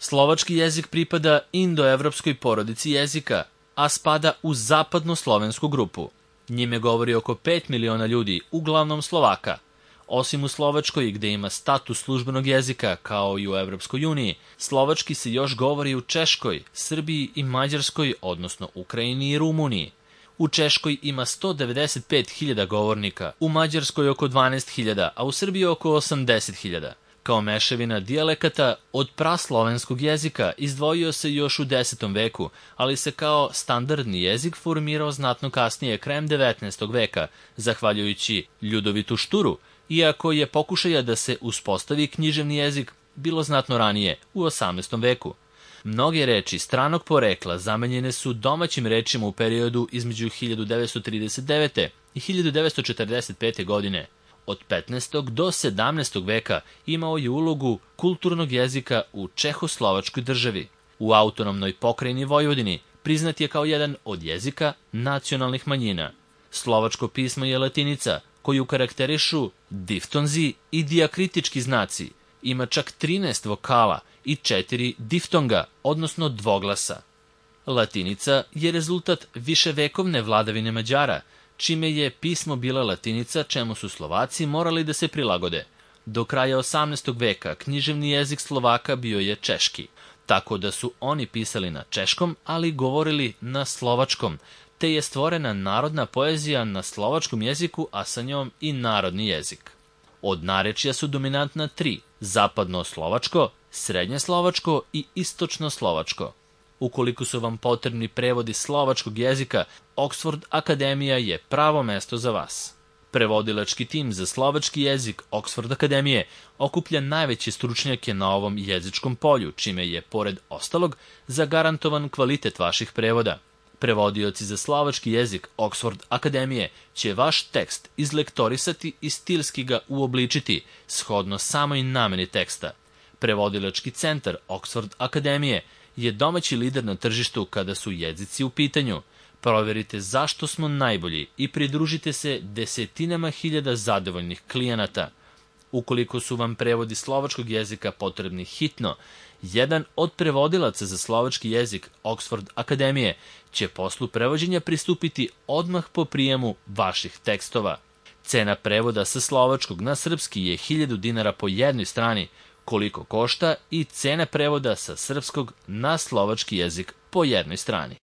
Slovački jezik pripada indoevropskoj porodici jezika, a spada u zapadno-slovensku grupu. Njime govori oko 5 miliona ljudi, uglavnom Slovaka. Osim u Slovačkoj, gde ima status službenog jezika, kao i u Evropskoj uniji, slovački se još govori u Češkoj, Srbiji i Mađarskoj, odnosno Ukrajini i Rumuniji. U Češkoj ima 195.000 govornika, u Mađarskoj oko 12.000, a u Srbiji oko 80.000. Kao mešavina dijalekata od praslovenskog jezika izdvojio se još u 10. veku, ali se kao standardni jezik formirao znatno kasnije, krajem 19. veka, zahvaljujući Ljudovitu Šturu, iako je pokušaja da se uspostavi književni jezik bilo znatno ranije, u 18. veku. Mnoge reči stranog porekla zamenjene su domaćim rečima u periodu između 1939. i 1945. godine. Od 15. do 17. veka imao je ulogu kulturnog jezika u Čehoslovačkoj državi. U autonomnoj pokrajini Vojvodini priznat je kao jedan od jezika nacionalnih manjina. Slovačko pismo je latinica, koju karakterišu diftonzi i dijakritički znaci. Ima čak 13 vokala i 4 diftonga, odnosno dvoglasa. Latinica je rezultat viševekovne vladavine Mađara, čime je pismo bila latinica, čemu su Slovaci morali da se prilagode. Do kraja 18. veka književni jezik Slovaka bio je češki, tako da su oni pisali na češkom, ali govorili na slovačkom, te je stvorena narodna poezija na slovačkom jeziku, a sa njom i narodni jezik. Od narečja su dominantna 3: zapadno-slovačko, srednje-slovačko i istočno-slovačko. Ukoliko su vam potrebni prevodi slovačkog jezika, Oxford Akademija je pravo mesto za vas. Prevodilački tim za slovački jezik Oxford Akademije okuplja najveće stručnjake na ovom jezičkom polju, čime je, pored ostalog, zagarantovan kvalitet vaših prevoda. Prevodioci za slovački jezik Oxford Akademije će vaš tekst izlektorisati i stilski ga uobličiti, shodno samoj nameni teksta. Prevodilački centar Oxford Akademije je domaći lider na tržištu kada su jezici u pitanju. Proverite zašto smo najbolji i pridružite se desetinama hiljada zadovoljnih klijenata. Ukoliko su vam prevodi slovačkog jezika potrebni hitno, jedan od prevodilaca za slovački jezik Oxford Akademije će poslu prevođenja pristupiti odmah po prijemu vaših tekstova. Cena prevoda sa slovačkog na srpski je 1000 dinara po jednoj strani, koliko košta i cena prevoda sa srpskog na slovački jezik po jednoj strani.